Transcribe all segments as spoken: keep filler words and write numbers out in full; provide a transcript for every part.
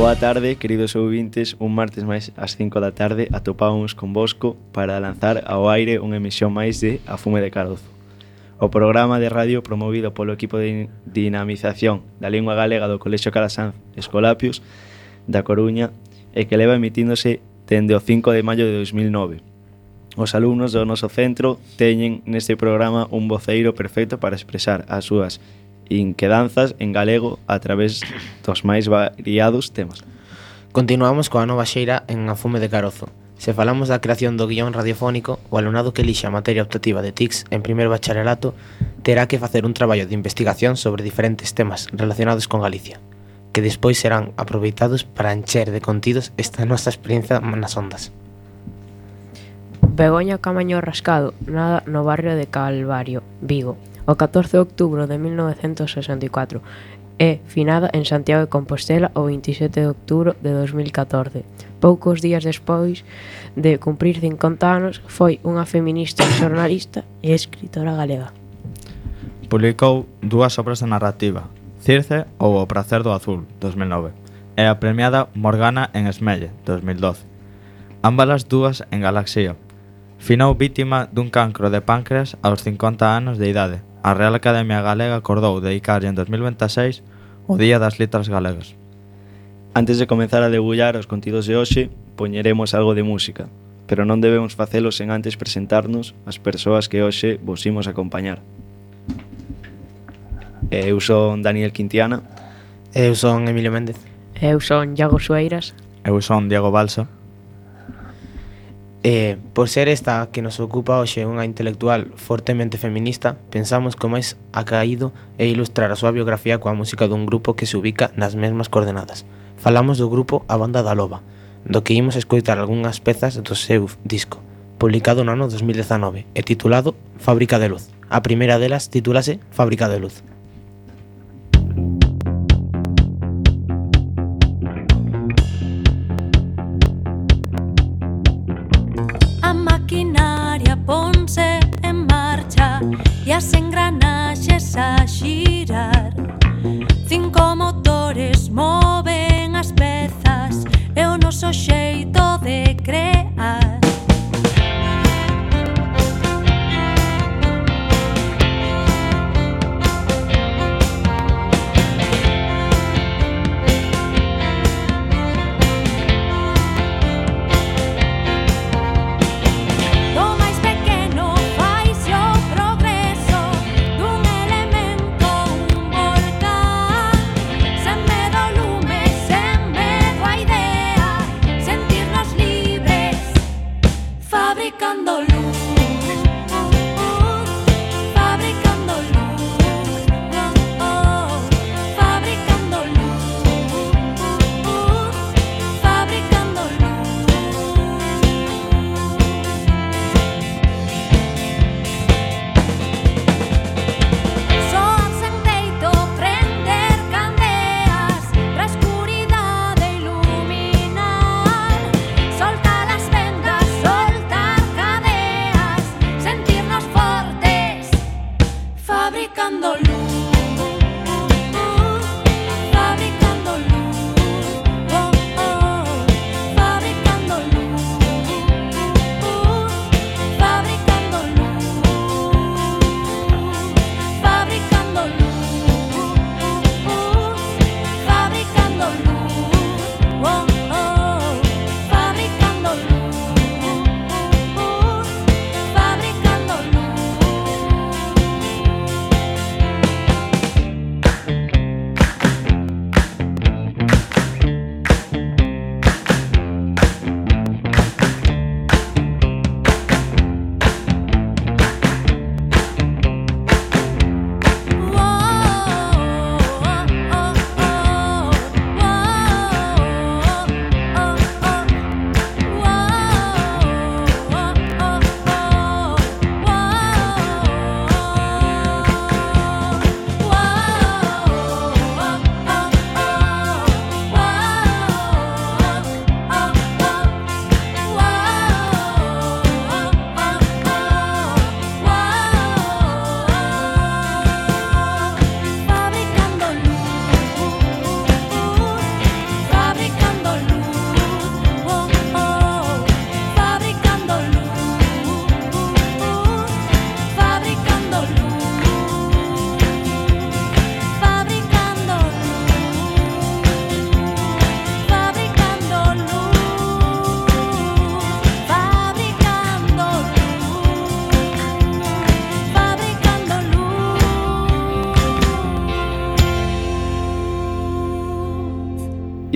Boa tarde, queridos ouvintes. Un martes máis ás cinco da tarde atopámonos con Bosco para lanzar ao aire unha emisión máis de A Fume de Carozo, o programa de radio promovido polo equipo de dinamización da lingua galega do Colexio Calasanz Escolapios da Coruña e que leva emitíndose dende o cinco de maio de dos mil nove. Os alumnos do noso centro teñen neste programa un voceiro perfecto para expresar as súas inquedanzas en galego a través dos máis variados temas. Continuamos coa nova xeira en A Fume de Carozo. Se falamos da creación do guión radiofónico, o alumnado que elixa a materia optativa de T I C S en primeiro bacharelato terá que facer un traballo de investigación sobre diferentes temas relacionados con Galicia, que despois serán aproveitados para encher de contidos esta nosa experiencia nas ondas. Begoña Camaño Rascado, nada no barrio de Calvario, Vigo, o catorce de outubro de mil novecentos sesenta e catro, e finada en Santiago de Compostela o veintisiete de outubro de dos mil catorce. Poucos días despois de cumprir cincuenta anos, foi unha feminista, xornalista e escritora galega. Publicou dúas obras de narrativa, Circe ou O pracer do azul, dos mil nove, e a premiada Morgana en Esmelle, dos mil doce. Ambas as dúas en Galaxía. Finou vítima dun cancro de páncreas aos cincuenta anos de idade. A Real Academia Galega acordou dedicarlle en dos mil veintiséis o Día das Letras Galegas. Antes de comenzar a debullar os contidos de hoxe, poñeremos algo de música, pero non debemos facelo sen antes presentarnos as persoas que hoxe vos imos acompañar. Eu son Daniel Quintiana. Eu son Emilio Méndez. Eu son Iago Sueiras. Eu son Diego Balsa. E, por ser esta que nos ocupa hoxe unha intelectual fortemente feminista, pensamos que o máis acaído é ilustrar a súa biografía coa música dun grupo que se ubica nas mesmas coordenadas. Falamos do grupo A Banda da Loba, do que imos escoitar algunhas pezas do seu disco, publicado no ano dos mil dezanove e titulado Fábrica de Luz. A primeira delas titúlase Fábrica de Luz. E as engranaxes a xirar, cinco motores moven as pezas e o noso xeito de crear.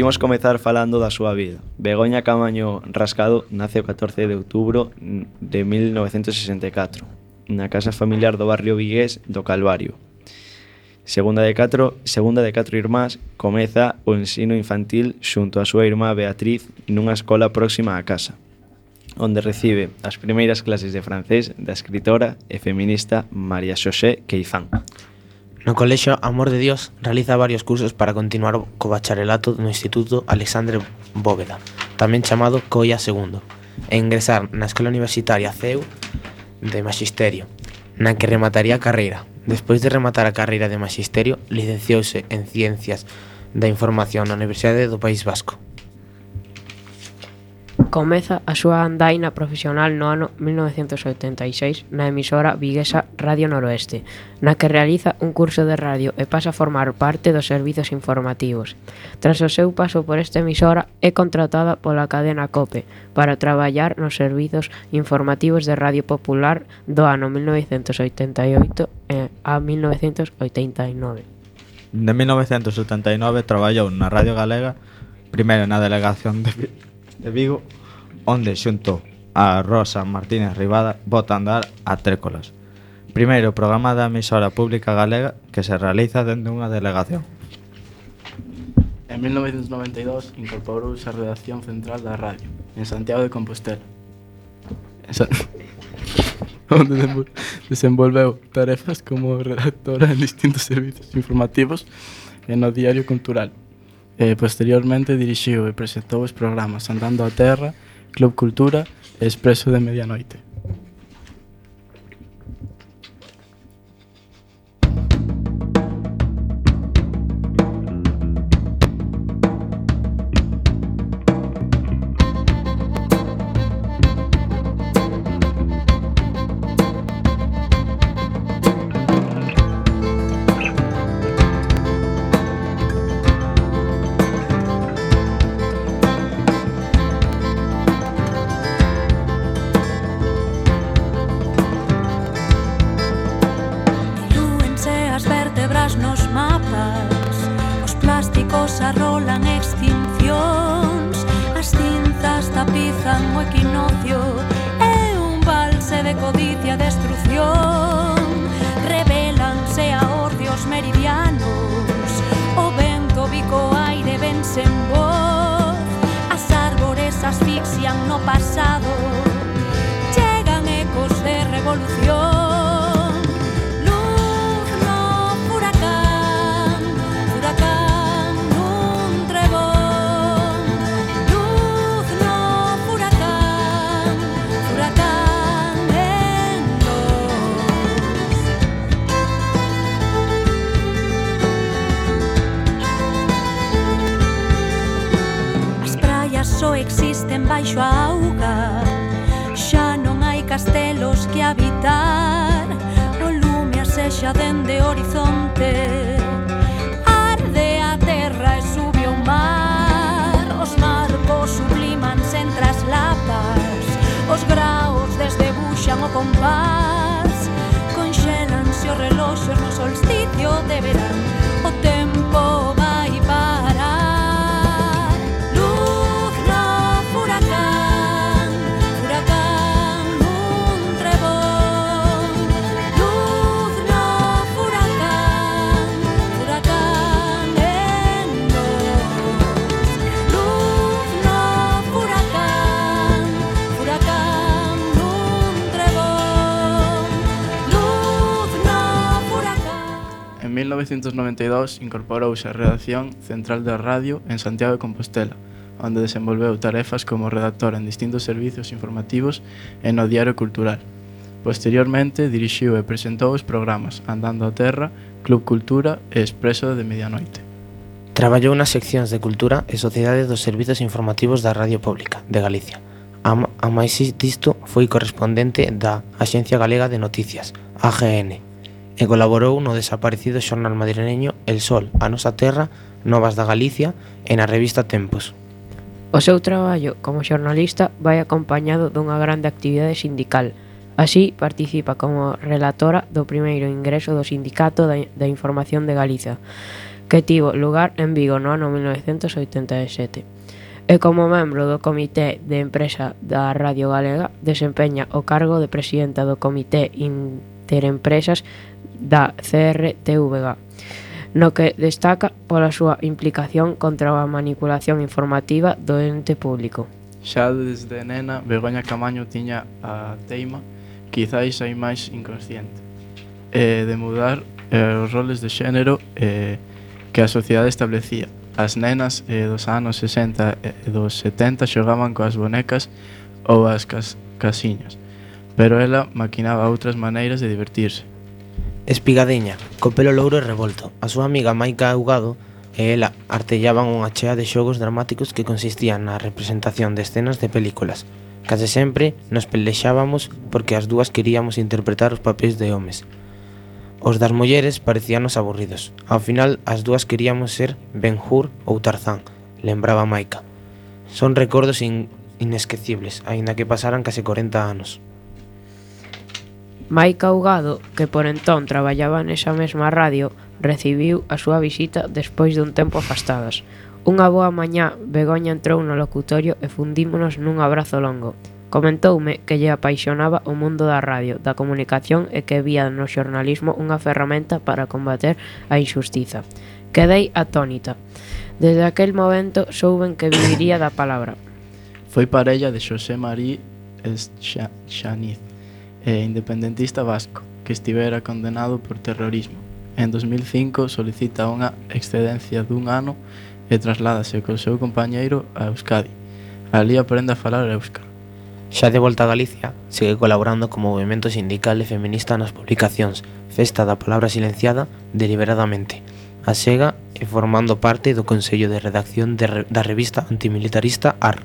Imos comezar falando da súa vida. Begoña Camaño Rascado nace o catorce de outubro de mil novecentos sesenta e catro na casa familiar do barrio vigués do Calvario. Segunda de catro, segunda de catro irmás, comeza o ensino infantil xunto a súa irmá Beatriz nunha escola próxima á casa, onde recibe as primeiras clases de francés da escritora e feminista María Xosé Queizán. No colexio Amor de Dios realiza varios cursos para continuar co bacharelato no Instituto Alexandre Bóveda, tamén chamado Coia segundo, e ingresar na Escola Universitaria C E U de Maxisterio, na que remataría a carreira. Despois de rematar a carreira de Maxisterio, licenciouse en Ciencias da Información na Universidade do País Vasco. Comeza a súa andaina profesional no ano mil novecentos oitenta e seis na emisora viguesa Radio Noroeste, na que realiza un curso de radio e pasa a formar parte dos servizos informativos. Tras o seu paso por esta emisora, é contratada pola cadena COPE para traballar nos servizos informativos de Radio Popular do ano mil novecentos oitenta e oito a mil novecentos oitenta e nove. De mil novecentos setenta e nove traballou na Radio Galega, primeiro na delegación de, de Vigo, onde xunto a Rosa Martínez Ribada bota a andar a Trécolas, primeiro programa da emisora pública galega que se realiza dentro dunha delegación. En mil novecentos noventa e dous incorporouse a redacción central da radio en Santiago de Compostela, en San... onde desenvolveu tarefas como redactora en distintos servizos informativos e no Diario Cultural. E posteriormente dirixiu e presentou os programas Andando a Terra, Club Cultura e Expreso de Medianoite. Existen baixo a auga, xa non hai castelos que habitar, o lume asexa dende o horizonte, arde a terra e sube o mar, os marcos sublimanse entre as lapas, os graos desdebuxan o compás, conxélanse os reloxos no solsticio de verán, o tempo vai parar. En mil novecentos noventa e dous incorporouse a redacción central da radio en Santiago de Compostela, onde desenvolveu tarefas como redactora en distintos servizos informativos e no Diario Cultural. Posteriormente dirixiu e presentou os programas Andando a Terra, Club Cultura e Expreso de Medianoite. Traballou nas seccións de Cultura e Sociedade dos Servizos Informativos da Radio Pública de Galicia. A, a máis disto foi correspondente da Axencia Galega de Noticias, A G N, e colaborou no desaparecido xornal madrileño El Sol, A Nosa Terra, Novas da Galicia e na revista Tempos. O seu traballo como xornalista vai acompañado dunha grande actividade sindical. Así, participa como relatora do primeiro ingreso do Sindicato da Información de Galiza, que tivo lugar en Vigo no ano mil novecentos oitenta e sete. E como membro do Comité de Empresa da Radio Galega desempeña o cargo de presidenta do Comité Interempresas da C R T V G, no que destaca pola súa implicación contra a manipulación informativa do ente público. Xa desde nena, Begoña Camaño tiña a teima, quizáis hai máis inconsciente, eh, de mudar eh, os roles de xénero eh, que a sociedade establecía. As nenas eh, dos anos sesenta e dos setenta xogaban coas bonecas ou as cas casiñas, pero ela maquinaba outras maneiras de divertirse. Espigadeña, co pelo louro e revolto. A súa amiga Maica Augado e ela artellaban unha chea de xogos dramáticos que consistían na representación de escenas de películas. Case sempre nos pelexábamos porque as dúas queríamos interpretar os papéis de homes. Os das mulleres parecíanos aburridos. Ao final, as dúas queríamos ser Ben-Hur ou Tarzán, lembraba Maica. Son recordos in inesquecibles, aínda que pasaran case corenta anos. Maica Augado, que por entón traballaba nesa mesma radio, recibiu a súa visita despois dun tempo afastadas. Unha boa mañá, Begoña entrou no locutorio e fundímonos nun abrazo longo. Comentoume que lle apaixonaba o mundo da radio, da comunicación e que vía no xornalismo unha ferramenta para combater a injustiza. Quedei atónita. Desde aquel momento souben que viviría da palabra. Foi parella de Xosé Marí Xaniz, eh, independentista vasco, que estivera condenado por terrorismo. En dos mil cinco solicita unha excedencia dun ano e trasládase co seu compañeiro a Euskadi. Ali aprende a falar éuscar. Xa de volta a Galicia, segue colaborando como movimento sindical e feminista nas publicacións Festa da Palabra Silenciada, Deliberadamente, a Sega e formando parte do Consello de Redacción de re, da revista antimilitarista A R.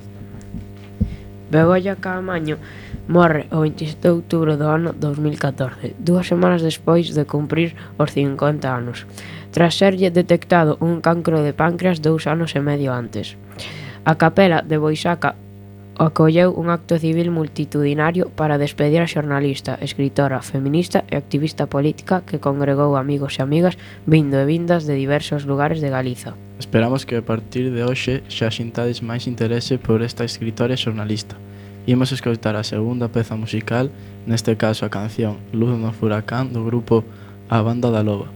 Begoña Camaño morre o veintisiete de outubro do ano dos mil catorce, dúas semanas despois de cumprir os cincuenta anos, tras serlle detectado un cancro de páncreas dous anos e medio antes. A capela de Boisaca acolleu un acto civil multitudinario para despedir a xornalista, escritora, feminista e activista política que congregou amigos e amigas vindo e vindas de diversos lugares de Galiza. Esperamos que a partir de hoxe xa xintades máis interese por esta escritora e xornalista. Imos escoitar a segunda peza musical, neste caso a canción Luz no Furacán do grupo A Banda da Loba.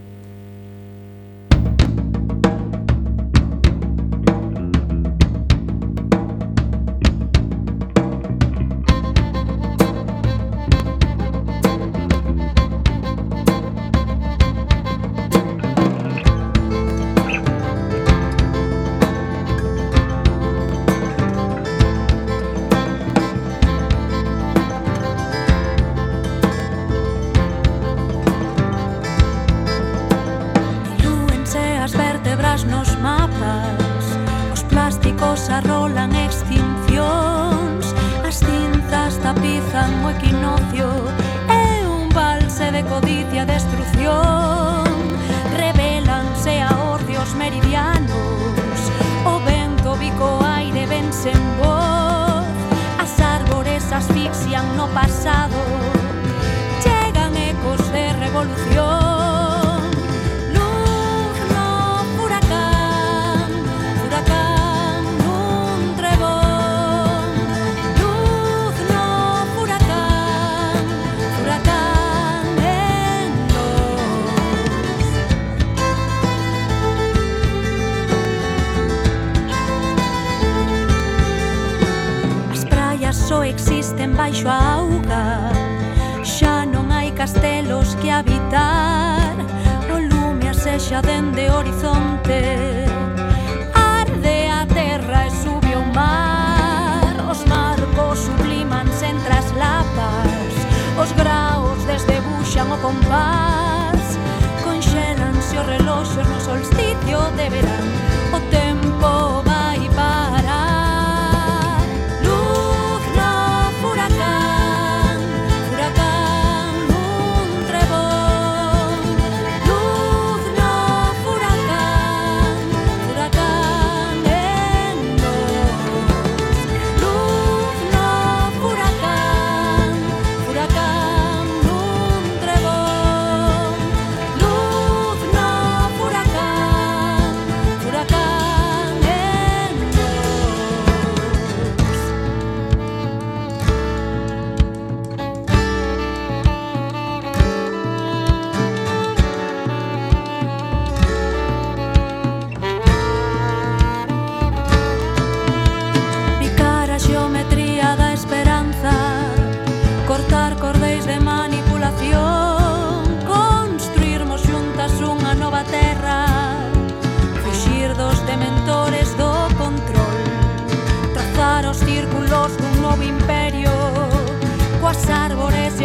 Existen baixo a auga, xa non hai castelos que habitar, o lume asexa dende o horizonte, arde a terra e sube o mar, os marcos sublimanse entre as lapas, os graos desdebuxan o compás, conxélanse os reloxos no solsticio de verán, o tempo vai parar. Furacán,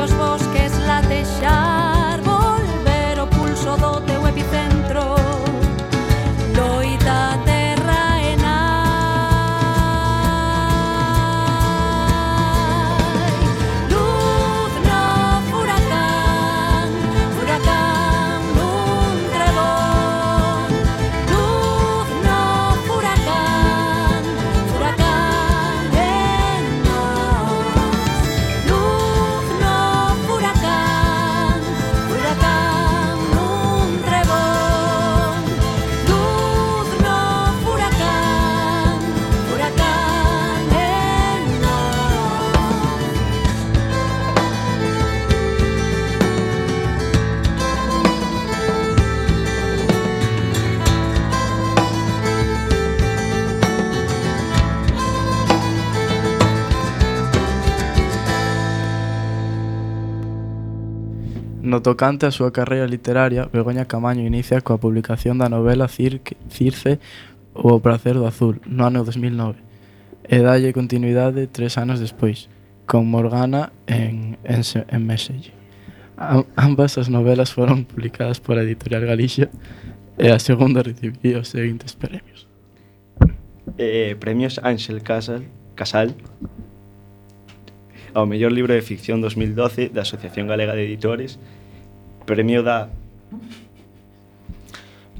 os bosques latexar, volver o pulso do teu epicentro, loita terra e nai. Luz no furacán, furacán nun trebón. Luz no furacán, furacán en nós. Luz no furacán, furacán nun trebón. Luz no furacán, furacán en nós. No tocante á súa carreira literaria, Begoña Camaño inicia coa publicación da novela Cirque, Circe ou O pracer do azul, no ano dos mil nove, e dalle continuidade tres anos despois, con Morgana en, en, Se- en Meselle. Am- ambas as novelas foron publicadas pola Editorial Galicia e a segunda recibiu os seguintes premios. Eh, premios Ángel Casal, Casal ao mellor libro de ficción dos mil doce da Asociación Galega de Editores, premio da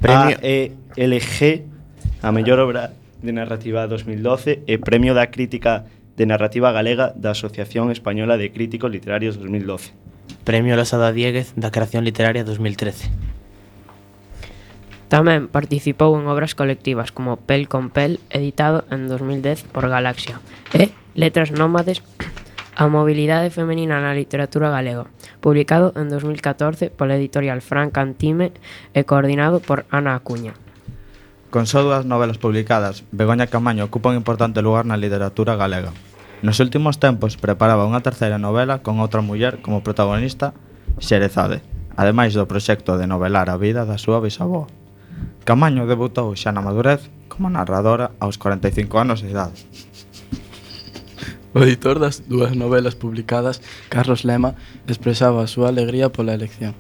Premio- A E L G a mellor obra de narrativa dos mil doce e premio da Crítica de Narrativa Galega da Asociación Española de Críticos Literarios dos mil doce. Premio Losada Diéguez da Creación Literaria dos mil trece. Tamén participou en obras colectivas como Pel con Pel, editado en dos mil dez por Galaxia, e Letras Nómades, a mobilidade femenina na literatura galega, publicado en dos mil catorce pola editorial Fran Cantime e coordinado por Ana Acuña. Con só dúas novelas publicadas, Begoña Camaño ocupa un importante lugar na literatura galega. Nos últimos tempos preparaba unha terceira novela con outra muller como protagonista, Xerezade, ademais do proxecto de novelar a vida da súa bisavó. Camaño debutou xa na madurez como narradora aos cuarenta e cinco anos de idade. O editor das dúas novelas publicadas, Carlos Lema, expresaba a súa alegría pola elección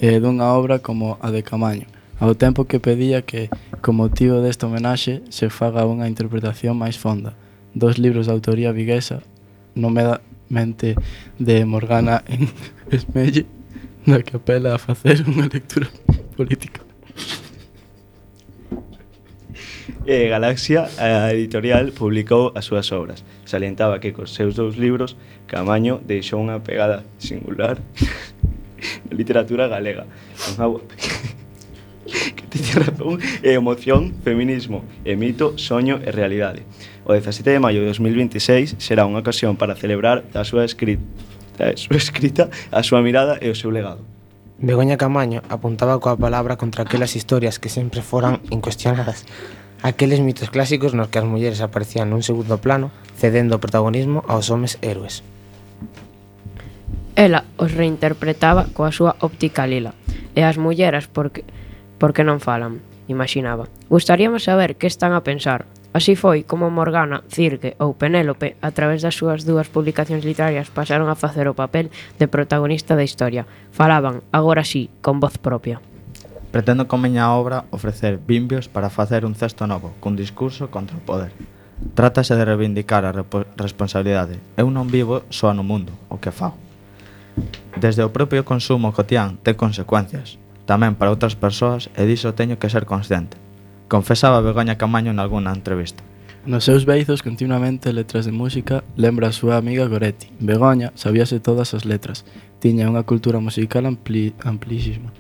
e dunha obra como a de Camaño, ao tempo que pedía que, con motivo desta homenaxe, se faga unha interpretación máis fonda dos libros de autoría viguesa, nomeadamente de Morgana en Esmelle, na que apela a facer unha lectura política. E Galaxia, a editorial, publicou as súas obras. Salientaba que cos seus dous libros Camaño deixou unha pegada singular na literatura galega. Unha que tiña razón e emoción, feminismo e mito, soño e realidade. O dezasete de maio de dos mil veintiséis será unha ocasión para celebrar a súa escrita, a súa escrita, a súa mirada e o seu legado. Begoña Camaño apuntaba coa palabra contra aquelas historias que sempre foran incuestionadas, aqueles mitos clásicos nos que as mulleres aparecían nun segundo plano, cedendo o protagonismo aos homes héroes. Ela os reinterpretaba coa súa óptica lila, e as mulleras porque, porque non falan, imaginaba. Gustaríamos saber que están a pensar. Así foi como Morgana, Cirque ou Penélope, a través das súas dúas publicacións literarias, pasaron a facer o papel de protagonista da historia. Falaban, agora sí, con voz propia. Pretendo con miña obra ofrecer bimbios para facer un cesto novo, cun discurso contra o poder. Trátase de reivindicar a repo- responsabilidade. Eu non vivo só no mundo, o que fago. Desde o propio consumo cotián ten consecuencias, tamén para outras persoas, e diso teño que ser consciente. Confesaba Begoña Camaño nalgúna entrevista. Nos seus beizos continuamente letras de música lembra a súa amiga Goretti. Begoña sabíase todas as letras, tiña unha cultura musical ampli, amplísima.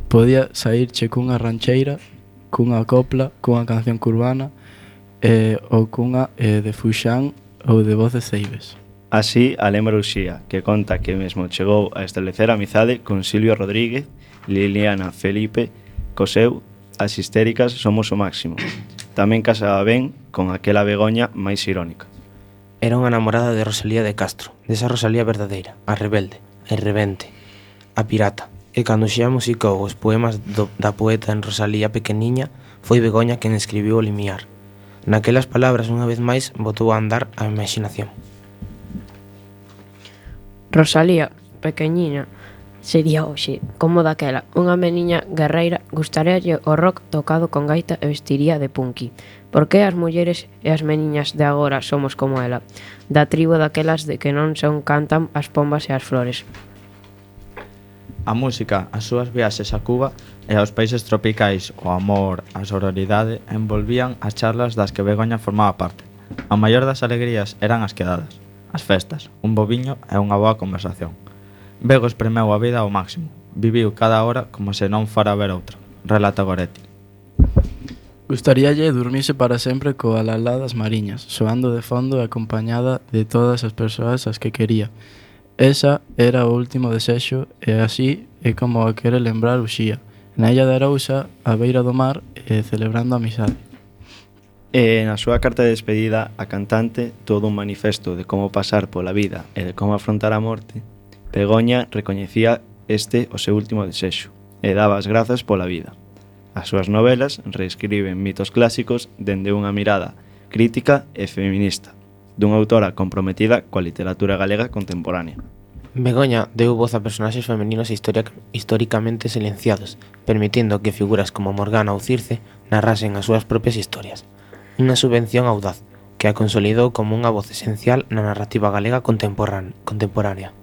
Podía saírche cunha rancheira, cunha copla, cunha canción curbana eh, ou cunha eh, de Fuxán ou de Voz de Ceibes. Así, a lembra Uxía, que conta que mesmo chegou a establecer amizade con Silvio Rodríguez, Liliana Felipe, Coseu, as histéricas somos o máximo. Tamén casaba ben con aquela Begoña máis irónica. Era unha namorada de Rosalía de Castro, desa Rosalía verdadeira, a rebelde, a irrebente, a pirata. E cando xa musicou os poemas do, da poeta en Rosalía pequeniña, foi Begoña quen escribiu o limiar. Naquelas palabras, unha vez máis, botou a andar a imaginación. Rosalía pequeñina sería hoxe, como daquela, unha meniña guerreira, gustaríalle o rock tocado con gaita e vestiría de punky. Por que as mulleres e as meniñas de agora somos como ela, da tribo daquelas de que non son cantan as pombas e as flores? A música, as súas viaxes a Cuba e aos países tropicais, o amor, a sororidade envolvían as charlas das que Begoña formaba parte. A maior das alegrías eran as quedadas, as festas, un boviño e unha boa conversación. Bego espremeu a vida ao máximo, viviu cada hora como se non fora a ver outra, relata Goretti. Gustaríalle dormirse para sempre coa lalá das mariñas, soando de fondo e acompañada de todas as persoas as que quería. Esa era o último desexo e así é como a quere lembrar Uxía, na illa de Arousa, á beira do mar e celebrando a amizade. E na súa carta de despedida, a cantante, todo un manifesto de como pasar pola vida e de como afrontar a morte, Begoña recoñecía este o seu último desexo e daba as grazas pola vida. As súas novelas reescriben mitos clásicos dende unha mirada crítica e feminista, dunha autora comprometida coa literatura galega contemporánea. Begoña deu voz a personaxes femeninos histórica, históricamente silenciados, permitindo que figuras como Morgana ou Circe narrasen as súas propias historias. Unha subvención audaz que a consolidou como unha voz esencial na narrativa galega contemporánea.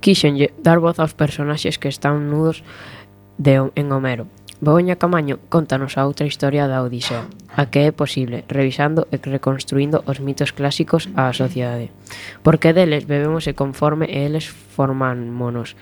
Quíxenlle dar voz aos personaxes que están nudos de, en Homero. Begoña Camaño contanos a outra historia da Odisea, a que é posible, revisando e reconstruindo os mitos clásicos á sociedade. Porque deles bebemos e conforme e eles formámonos.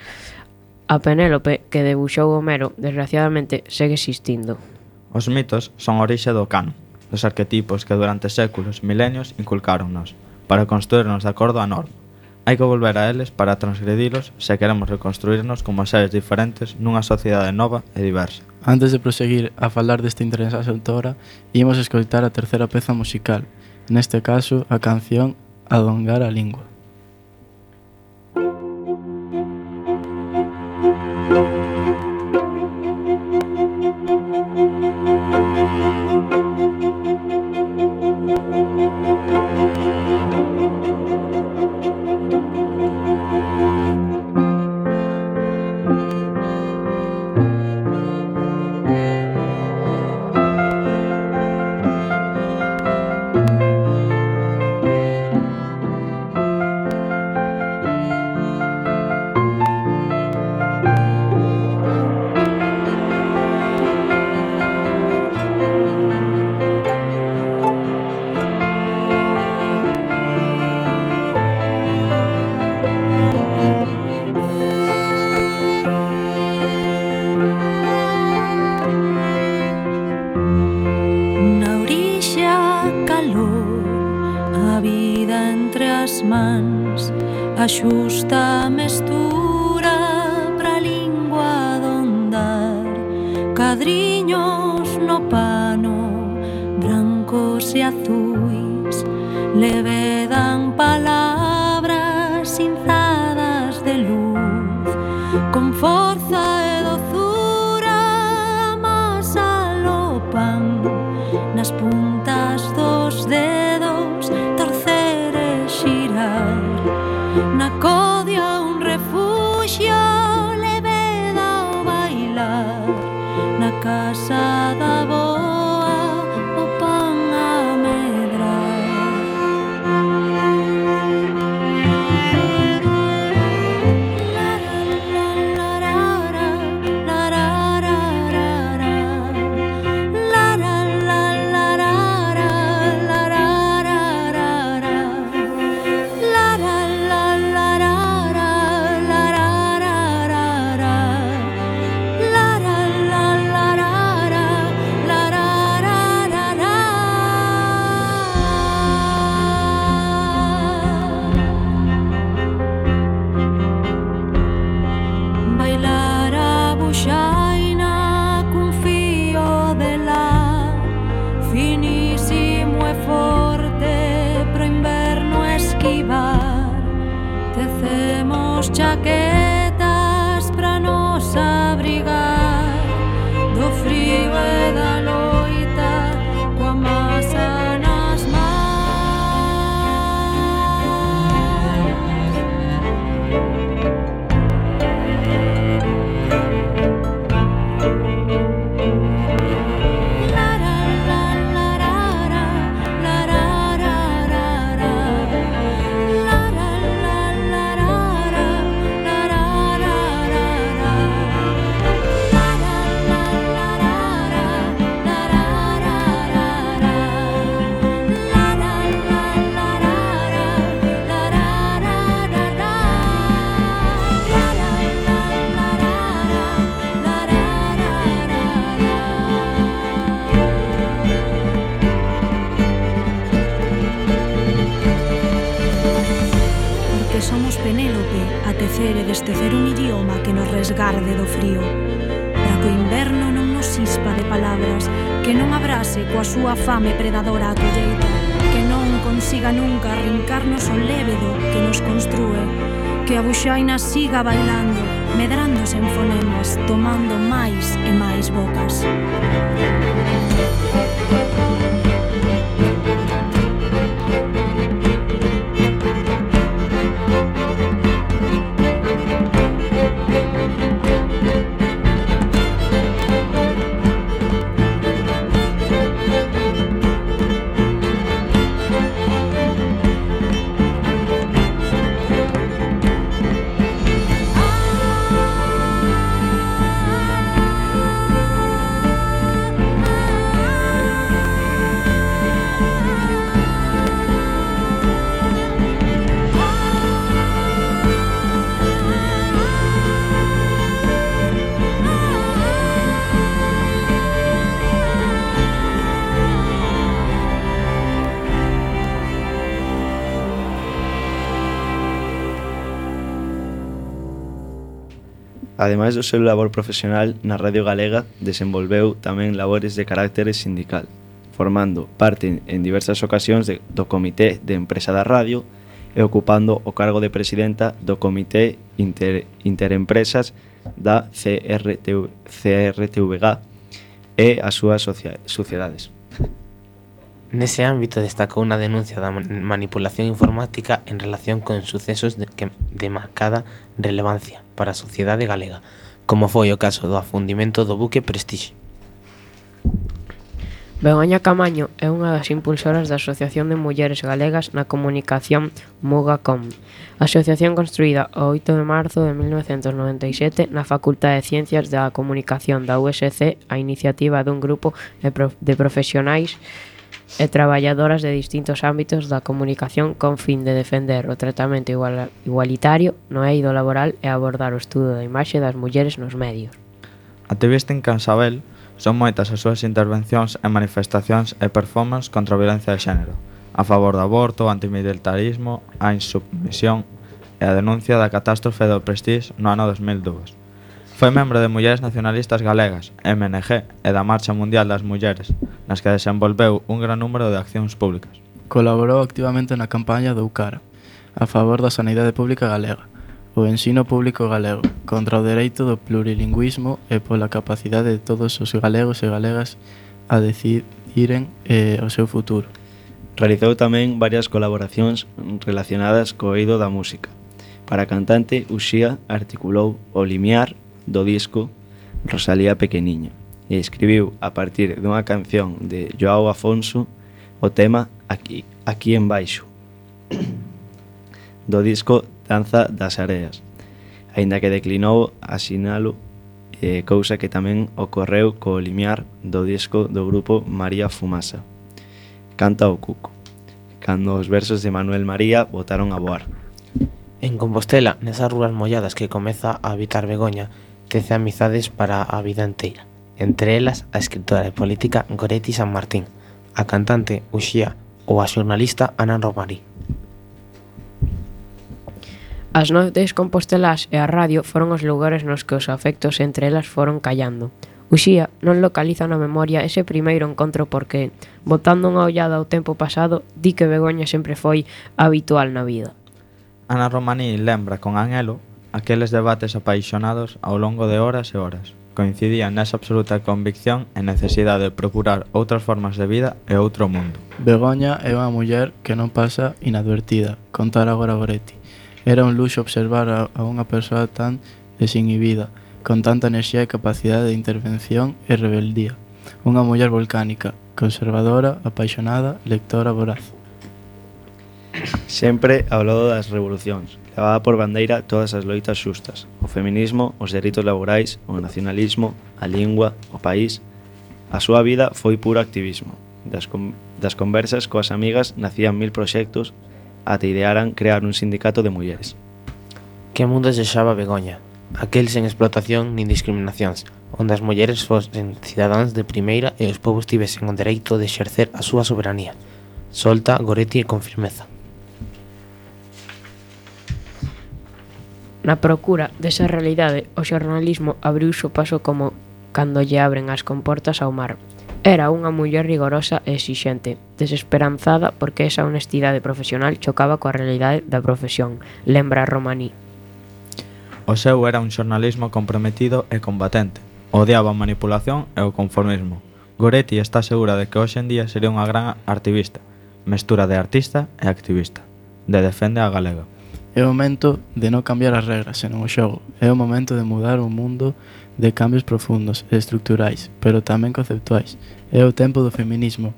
A Penélope que debuxou Homero, desgraciadamente, segue existindo. Os mitos son a orixe do canon, dos arquetipos que durante séculos, milenios, inculcáronnos, para construirnos de acordo á norma. Hai que volver a eles para transgredilos se queremos reconstruirnos como seres diferentes nunha sociedade nova e diversa. Antes de proseguir a falar desta interesante autora, imos escoitar a terceira peza musical, neste caso a canción Alongar a Lingua. A xusta mestura pra lingua dondar, cadriños no pano, brancos e azuis, levedan palabras cinzadas de luz, con forza e dozura amasalopan nas puntas dos dedos, torcer e xirar. Na codia un refuxio, leveda o bailar. Na casa da boa, o pan a medrar. Chaquetas pra nos abrigar do frío e da loita, coa masa nas mans. tecer un idioma que nos resgarde do frío, para que o inverno non nos ispa de palabras, que non abrase coa súa fame predadora a colleita, que non consiga nunca arrincarnos o lévedo que nos construe, que a buxaina siga bailando, medrándose en fonemas, tomando máis e máis bocas. Ademais do seu labor profesional na Radio Galega, desenvolveu tamén labores de carácter sindical, formando parte en diversas ocasións de, do Comité de Empresa da Radio e ocupando o cargo de presidenta do Comité Inter, Interempresas da C R T V G e as súas sociedades. Nese ámbito destacou unha denuncia da manipulación informática en relación con sucesos de, que, de marcada relevancia para a sociedade galega, como foi o caso do afundimento do buque Prestige. Begoña Camaño é unha das impulsoras da Asociación de Mulleres Galegas na Comunicación MugaCom, asociación construída o oito de marzo de mil novecentos noventa e sete na Facultade de Ciencias da Comunicación da U S C a iniciativa dun grupo de profesionais e traballadoras de distintos ámbitos da comunicación con fin de defender o tratamento igual, igualitario no eido laboral e abordar o estudo da imaxe das mulleres nos medios. Activista en Cansabel, son moitas as súas intervencións e manifestacións e performance contra a violencia de xénero, a favor do aborto, o antimilitarismo, a insubmisión e a denuncia da catástrofe do Prestige no ano dos mil dous. Foi membro de Mulleres Nacionalistas Galegas, M N G, e da Marcha Mundial das Mulleres, nas que desenvolveu un gran número de accións públicas. Colaborou activamente na campaña do UCARA, a favor da sanidade pública galega, o ensino público galego, contra o dereito do plurilingüismo e pola capacidade de todos os galegos e galegas a decidiren eh, o seu futuro. Realizou tamén varias colaboracións relacionadas co eido da música. Para a cantante, Uxía articulou o limiar do disco Rosalía Pequeniña e escribiu a partir dunha canción de Joao Afonso o tema Aquí, aquí en baixo do disco Danza das Areas, aínda que declinou asinalo, eh, cousa que tamén ocorreu co limiar do disco do grupo María Fumasa. Canta o cuco, cando os versos de Manuel María botaron a voar. En Compostela, nesas rúas molladas que comeza a habitar Begoña, tece amizades para a vida inteira, entre elas a escritora e política Goretti San Martín, a cantante Uxía ou a xornalista Ana Romarí. As noites compostelás e a radio foron os lugares nos que os afectos entre elas foron callando. Uxía non localiza na memoria ese primeiro encontro porque, botando unha ollada ao tempo pasado, di que Begoña sempre foi habitual na vida. Ana Romaní lembra con anhelo aqueles debates apaixonados ao longo de horas e horas. Coincidían nesa absoluta convicción e necesidade de procurar outras formas de vida e outro mundo. Begoña é unha muller que non pasa inadvertida, contar agora Goretti. Era un luxo observar a, a unha persoa tan desinhibida, con tanta enerxía e capacidade de intervención e rebeldía. Unha muller volcánica, conservadora, apaixonada, lectora voraz. Sempre ao lado das revolucións, levaba por bandeira todas as loitas xustas, o feminismo, os dereitos laborais, o nacionalismo, a lingua, o país. A súa vida foi puro activismo. Das, con das conversas coas amigas nacían mil proxectos ata idearan crear un sindicato de mulleres. Que mundo desexaba Begoña? Aquel sen explotación nin discriminacións, onde as mulleres fosen cidadáns de primeira e os povos tivesen o dereito de exercer a súa soberanía. Solta Goretti con firmeza. Na procura desa realidade, o xornalismo abriuse o paso como cando lle abren as comportas ao mar. Era unha muller rigorosa e exixente, desesperanzada porque esa honestidade profesional chocaba coa realidade da profesión, lembra Romaní. O seu era un xornalismo comprometido e combatente. Odiaba a manipulación e o conformismo. Goretti está segura de que hoxe en día sería unha gran activista, mestura de artista e activista, de defende a galega. É o momento de non cambiar as regras, senón o xogo. É o momento de mudar un mundo de cambios profundos e estruturais, pero tamén conceptuais. É o tempo do feminismo,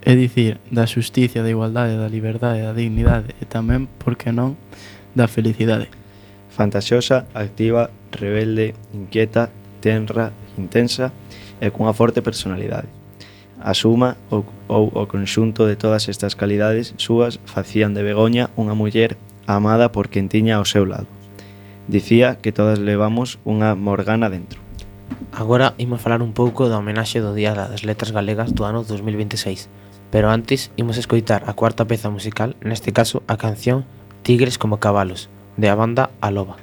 é dicir, da xusticia, da igualdade, da liberdade, da dignidade e tamén, por que non, da felicidade. Fantasiosa, activa, rebelde, inquieta, tenra, intensa e cunha forte personalidade. A suma ou, ou o conxunto de todas estas calidades súas facían de Begoña unha muller amada por quen tiña ao seu lado. Dicía que todas levamos unha Morgana dentro. Agora imos falar un pouco da homenaxe do Día das Letras Galegas do ano dos mil veintiséis, pero antes imos escoitar a cuarta peza musical, neste caso a canción Tigres como cabalos, de a banda A Loba.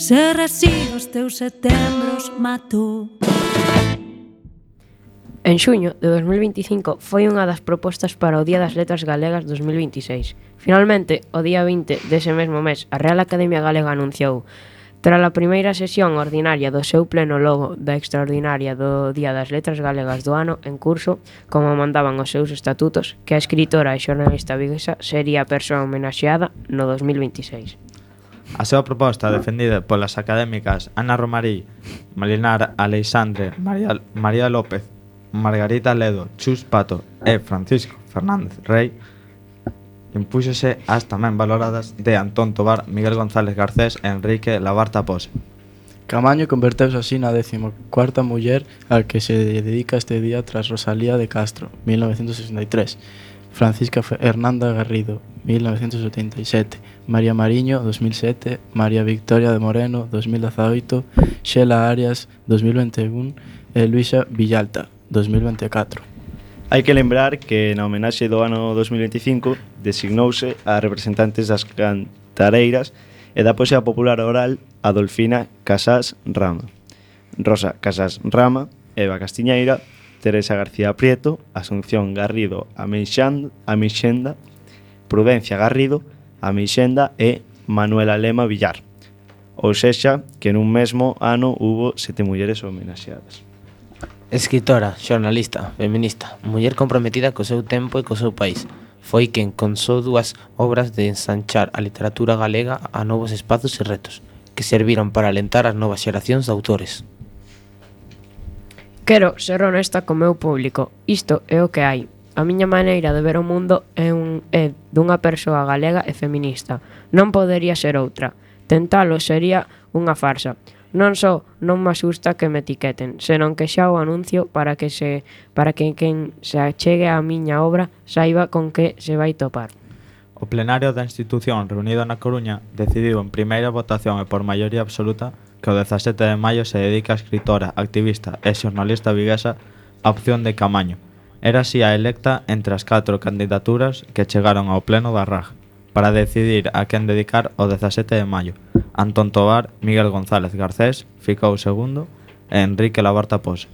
Se resigo os teus setembros mato. En xuño de dos mil veinticinco foi unha das propostas para o Día das Letras Galegas dos mil veintiséis. Finalmente, o día vinte dese mesmo mes, a Real Academia Galega anunciou, tras a primeira sesión ordinaria do seu pleno logo da extraordinaria do Día das Letras Galegas do ano en curso, como mandaban os seus estatutos, que a escritora e xornalista viguesa sería a persoa homenaxeada no dos mil veintiséis. A súa proposta, defendida polas académicas Ana Romarí, Malinar Aleixandre, María, María López, Margarita Ledo, Chus Pato e Francisco Fernández Rey, impúxose as tamén valoradas de Antón Tobar, Miguel González Garcés e Enrique Labarta Pose. Camaño converteuse así na décimo cuarta muller a que se dedica este día tras Rosalía de Castro, mil novecientos sesenta y tres, Francisca Hernanda Garrido, mil novecientos setenta y sete, María Mariño, dos mil sete, María Victoria de Moreno, dos mil dezaoito, Xela Arias, dos mil veintiún e Luisa Villalta, dos mil veinticuatro. Hai que lembrar que na homenaxe do ano dos mil veinticinco designouse a representantes das cantareiras e da poesía popular oral Adolfina Casás Rama, Rosa Casás Rama, Eva Castiñeira, Teresa García Prieto, Asunción Garrido Amixenda, Prudencia Garrido Amixenda e Manuela Lema Villar. Ou sexa, que nun mesmo ano hubo sete mulleres homenaxeadas. Escritora, xornalista, feminista, muller comprometida co seu tempo e co seu país. Foi quen consou dúas obras de ensanchar a literatura galega a novos espazos e retos, que serviron para alentar as novas xeracións de autores. Quero ser honesta co meu público. Isto é o que hai. A miña maneira de ver o mundo é, un, é dunha persoa galega e feminista. Non podería ser outra. Tentalo sería unha farsa. Non só non me asusta que me etiqueten, senón que xa o anuncio para que se para que quen se achegue á miña obra saiba con que se vai topar. O plenario da institución reunido na Coruña decidiu en primeira votación e por maioría absoluta que o dezasete de maio se dedica a escritora, activista e xornalista viguesa a opción de Camaño. Era así a electa entre as catro candidaturas que chegaron ao pleno da R A G para decidir a quen dedicar o dezasete de maio. Antón Tobar, Miguel González Garcés ficou segundo e Enrique Labarta Pose.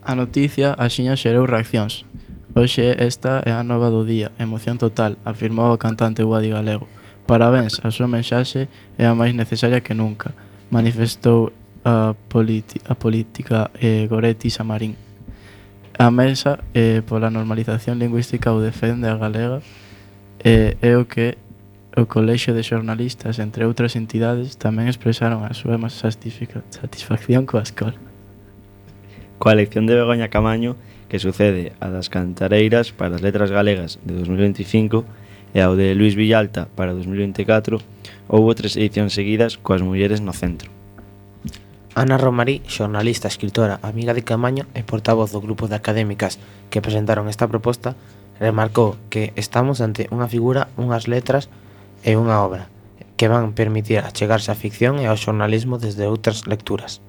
A noticia axiña xerou reaccións. Hoxe esta é a nova do día, emoción total, afirmou o cantante Guadi Galego. Parabéns, a súa mensaxe é a máis necesaria que nunca, manifestou a, politi- a política eh, Goretti Samarín. A Mesa eh, pola normalización lingüística ou defende a galega eh, é o que o Colexio de Xornalistas, entre outras entidades, tamén expresaron a súa satisfacción coa escola. Coa elección de Begoña Camaño, que sucede a das cantareiras para as letras galegas de dos mil veinticinco e ao de Luis Villalta para dos mil veinticuatro, houbo tres edicións seguidas coas mulleres no centro. Ana Romarí, xornalista, escritora, amiga de Camaño e portavoz do grupo de académicas que presentaron esta proposta, remarcou que estamos ante unha figura, unhas letras e unha obra que van permitir achegarse á ficción e ao xornalismo desde outras lecturas.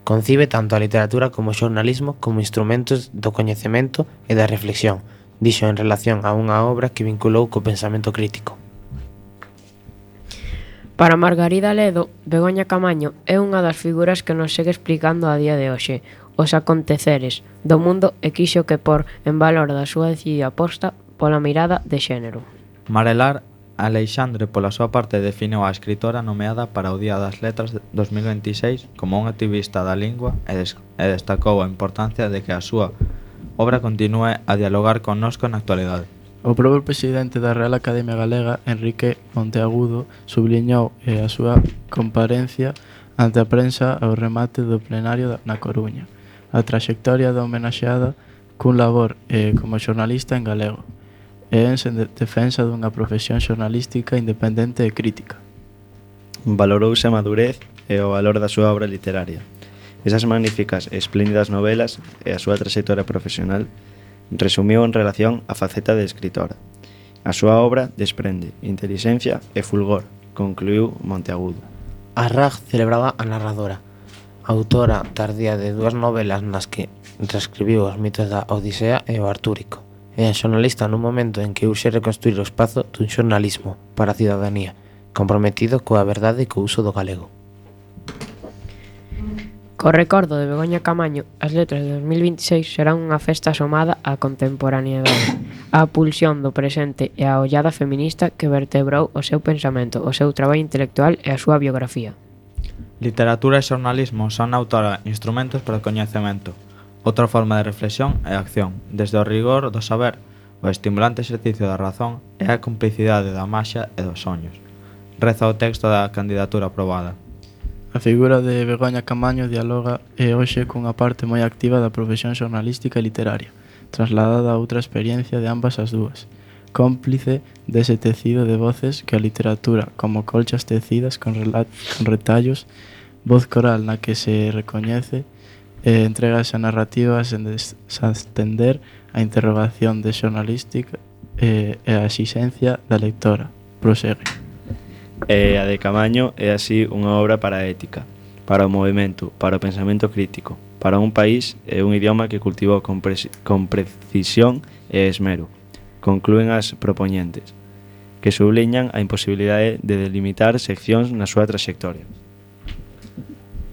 Concibe tanto a literatura como o xornalismo como instrumentos do coñecemento e da reflexión, dixo en relación a unha obra que vinculou co pensamento crítico. Para Margarida Ledo, Begoña Camaño é unha das figuras que nos segue explicando a día de hoxe os aconteceres do mundo e quixo que por en valor da súa decidida aposta pola mirada de xénero. Marelar Aleixandre, pola súa parte, definiu a escritora nomeada para o Día das Letras de dos mil veintiséis como un activista da lingua e, des- e destacou a importancia de que a súa obra continúe a dialogar connosco na actualidade. O propio presidente da Real Academia Galega, Enrique Monteagudo, subliñou eh, a súa comparencia ante a prensa ao remate do plenario na Coruña, a traxectoria da homenaxeada cun labor eh, como xornalista en galego e en defensa dunha profesión xornalística independente e crítica. Valorouse a madurez e o valor da súa obra literaria. Esas magníficas e espléndidas novelas e a súa traxectoria profesional resumiu en relación á faceta de escritora. A súa obra desprende intelixencia e fulgor, concluiu Monteagudo. A R A G celebraba a narradora, autora tardía de dúas novelas nas que reescribiu os mitos da Odisea e o Artúrico, e a xornalista nun momento en que urxe reconstruir o espazo dun xornalismo para a cidadanía, comprometido coa verdade e co uso do galego. Co recordo de Begoña Camaño, as letras de dos mil vinte e seis serán unha festa asomada á contemporaneidade, á pulsión do presente e á ollada feminista que vertebrou o seu pensamento, o seu traballo intelectual e a súa biografía. Literatura e xornalismo son na autora instrumentos para o coñecemento. Outra forma de reflexión e acción, desde o rigor do saber, o estimulante exercicio da razón e a complicidade da maxia e dos soños. Reza o texto da candidatura aprobada. A figura de Begoña Camaño dialoga e hoxe cunha parte moi activa da profesión xornalística e literaria, trasladada a outra experiencia de ambas as dúas, cómplice dese tecido de voces que a literatura, como colchas tecidas con, con retallos, voz coral na que se recoñece e entregas a narrativas en desastender a interrogación de xornalística e, e a exigencia da lectora. Prosegue. E a de Camaño é así unha obra para a ética, para o movimento, para o pensamento crítico, para un país e un idioma que cultivou con, pre con precisión e esmero. Conclúen as propoñentes, que subliñan a imposibilidade de delimitar seccións na súa trayectoria.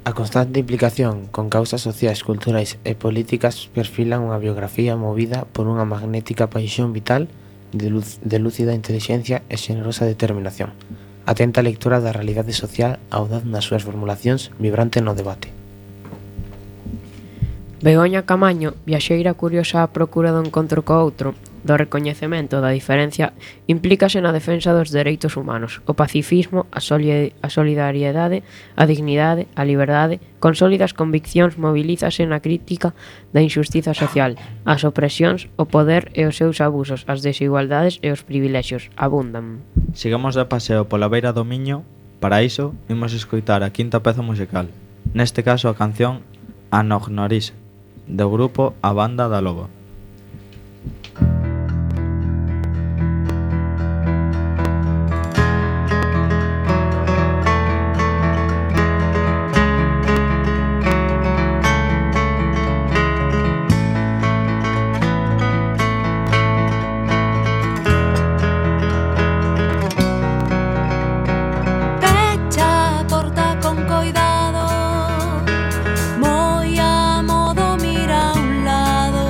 A constante implicación con causas sociais, culturais e políticas perfilan unha biografía movida por unha magnética paixón vital de, luz, de lúcida inteligencia e xenerosa determinación. Atenta lectura da realidade social, audaz nas súas formulacións, vibrante no debate. Begoña Camaño, viaxeira curiosa á procura do encontro co outro, do recoñecemento da diferencia, implícase na defensa dos dereitos humanos, o pacifismo, a, soli a solidariedade, a dignidade, a liberdade, con sólidas conviccións mobilízase na crítica da injustiza social, as opresións, o poder e os seus abusos, as desigualdades e os privilexios, abundan. Sigamos de paseo pola beira do Miño, para iso imos escoitar a quinta peza musical, neste caso a canción Anognorise, do grupo A Banda da Loba. Moi a modo mira a un lado.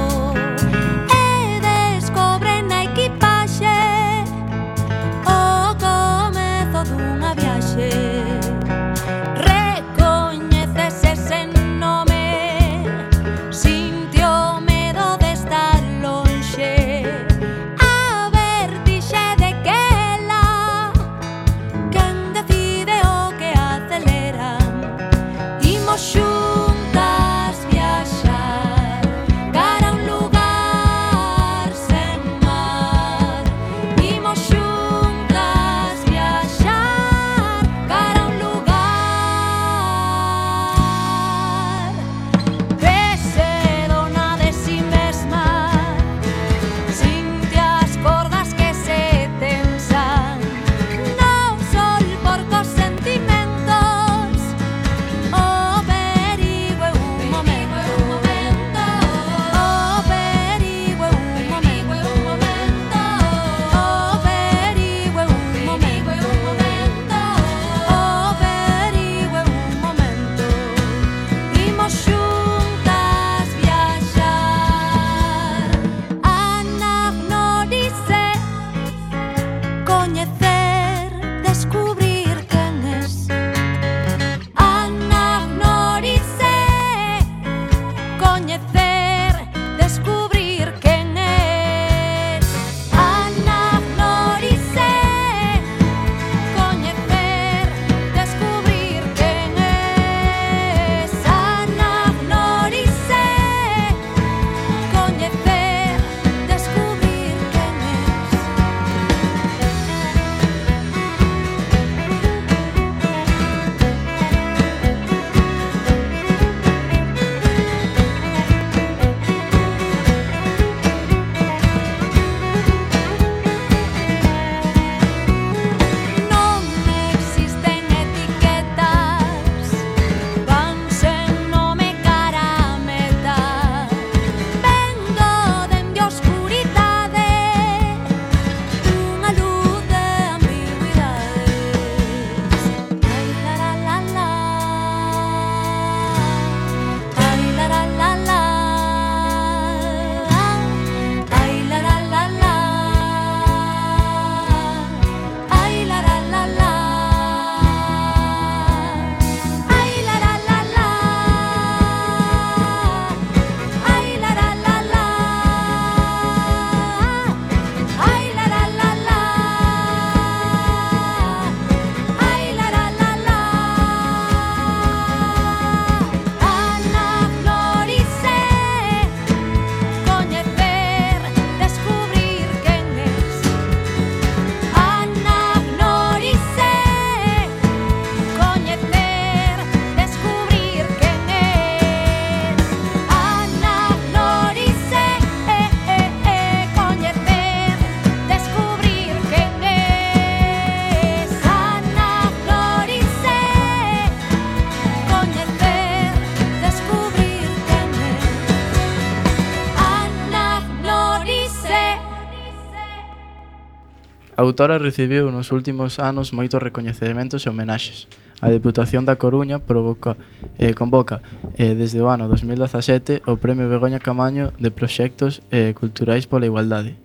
A autora recibiu nos últimos anos moitos recoñecementos e homenaxes. A Deputación da Coruña provoca, eh, convoca eh, desde o ano dos mil dezasete o Premio Begoña Camaño de Proxectos eh, Culturais pola Igualdade.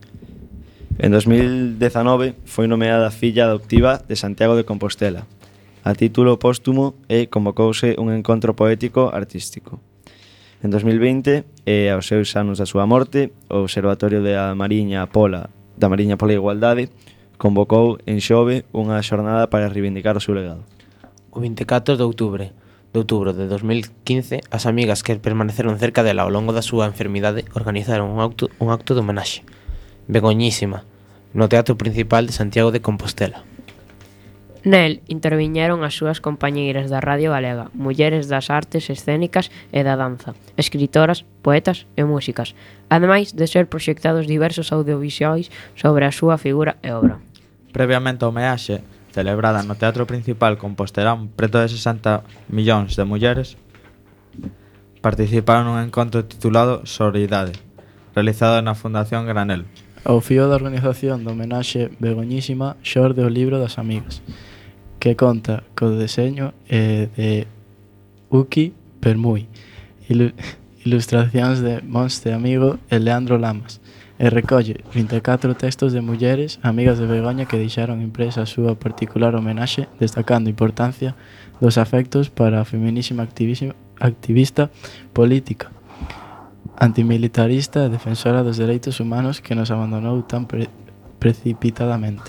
En dos mil dezanove foi nomeada filla adoptiva de Santiago de Compostela. A título póstumo e convocouse un encontro poético artístico. En dos mil vinte, e aos seus anos da súa morte, o Observatorio da Mariña Pola da Mariña pola Igualdade convocou en Xove unha xornada para reivindicar o seu legado. O vinte e catro de outubro de outubro de dos mil quince, as amigas que permaneceron cerca dela ao longo da súa enfermidade organizaron un acto, un acto de homenaxe. Begoñísima, no Teatro Principal de Santiago de Compostela. Nel interviñeron as súas compañeiras da Radio Galega, mulleres das artes escénicas e da danza, escritoras, poetas e músicas, ademais de ser proxectados diversos audiovisuais sobre a súa figura e obra. Previamente ao homenaxe, celebrada no Teatro Principal Compostelán, preto de sesenta millóns de mulleres participaron nun encontro titulado Sororidade, realizado na Fundación Granel. Ao fío da organización do homenaxe Begoñísima xorde o libro das amigas, que conta co deseño eh, de Uki Permui, ilu ilustracións de Monste Amigo e Leandro Lamas, e recolle vinte e catro textos de mulleres amigas de Begoña que deixaron impresa a súa particular homenaxe, destacando a importancia dos afectos para a feminísima activista política, antimilitarista e defensora dos dereitos humanos que nos abandonou tan pre precipitadamente.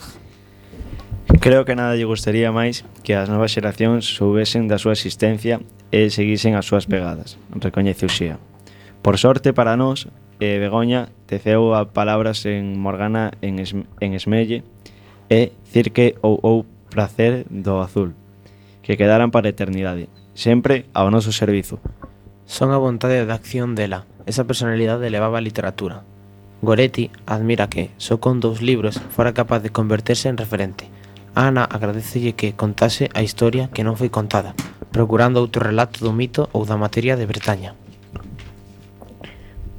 Creo que nada lle gustaría máis que as novas xeracións soubesen da súa existencia e seguisen as súas pegadas, recoñece Uxía. Por sorte para nós, eh, Begoña teceu a palabras en Morgana en, es, en Esmelle e cirque ou ou prazer do azul, que quedaran para a eternidade, sempre ao noso servizo. Son a vontade de acción dela, esa personalidade levaba a literatura. Goretti admira que, só con dous libros, fora capaz de converterse en referente. Ana agradecelle que contase a historia que non foi contada, procurando outro relato do mito ou da materia de Bretaña.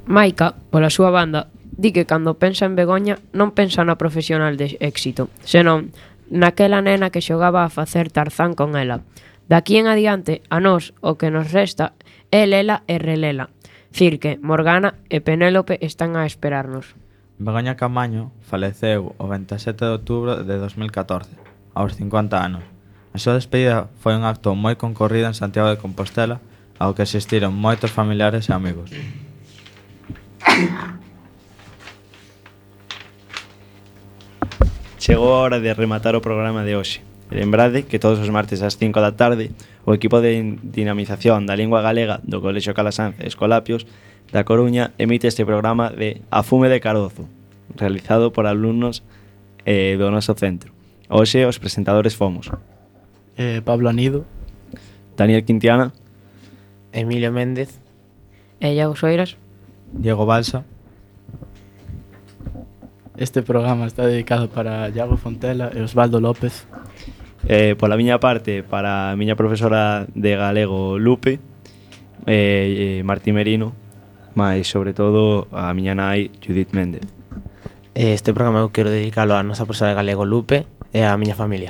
Maika, pola súa banda, di que cando pensa en Begoña non pensa na profesional de éxito, senón naquela nena que xogaba a facer Tarzán con ela. De aquí en adiante, a nós o que nos resta é lela e relela. Cirque, Morgana e Penélope están a esperarnos. Begoña Camaño faleceu o vinte e sete de outubro de dos mil catorce, aos cincuenta anos. A súa despedida foi un acto moi concorrido en Santiago de Compostela, ao que asistiron moitos familiares e amigos. Chegou a hora de rematar o programa de hoxe. Lembrade que todos os martes ás cinco da tarde o equipo de dinamización da lingua galega do Colexio Calasanz Escolapios da Coruña emite este programa de A Fume de Carozo, realizado por alumnos eh, do noso centro. Hoxe os presentadores fomos eh, Pablo Anido, Daniel Quintiana, Emilio Méndez E Iago Soiras. Diego Balsa. Este programa está dedicado para Iago Fontela e Osvaldo López. eh, pola miña parte para a miña profesora de galego Lupe e eh, Martí Merino, mais sobre todo a miña nai Judith Méndez. Este programa eu quero dedicalo a nosa profesora de galego Lupe e a miña familia.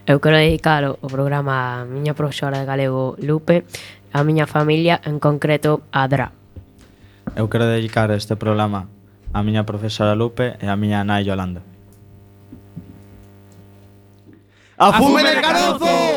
Eu quero dedicalo o programa a miña profesora de galego Lupe, a miña familia, en concreto a Dra. Eu quero dedicar este programa a miña profesora Lupe e a miña nai Yolanda. A Fume de Carozo!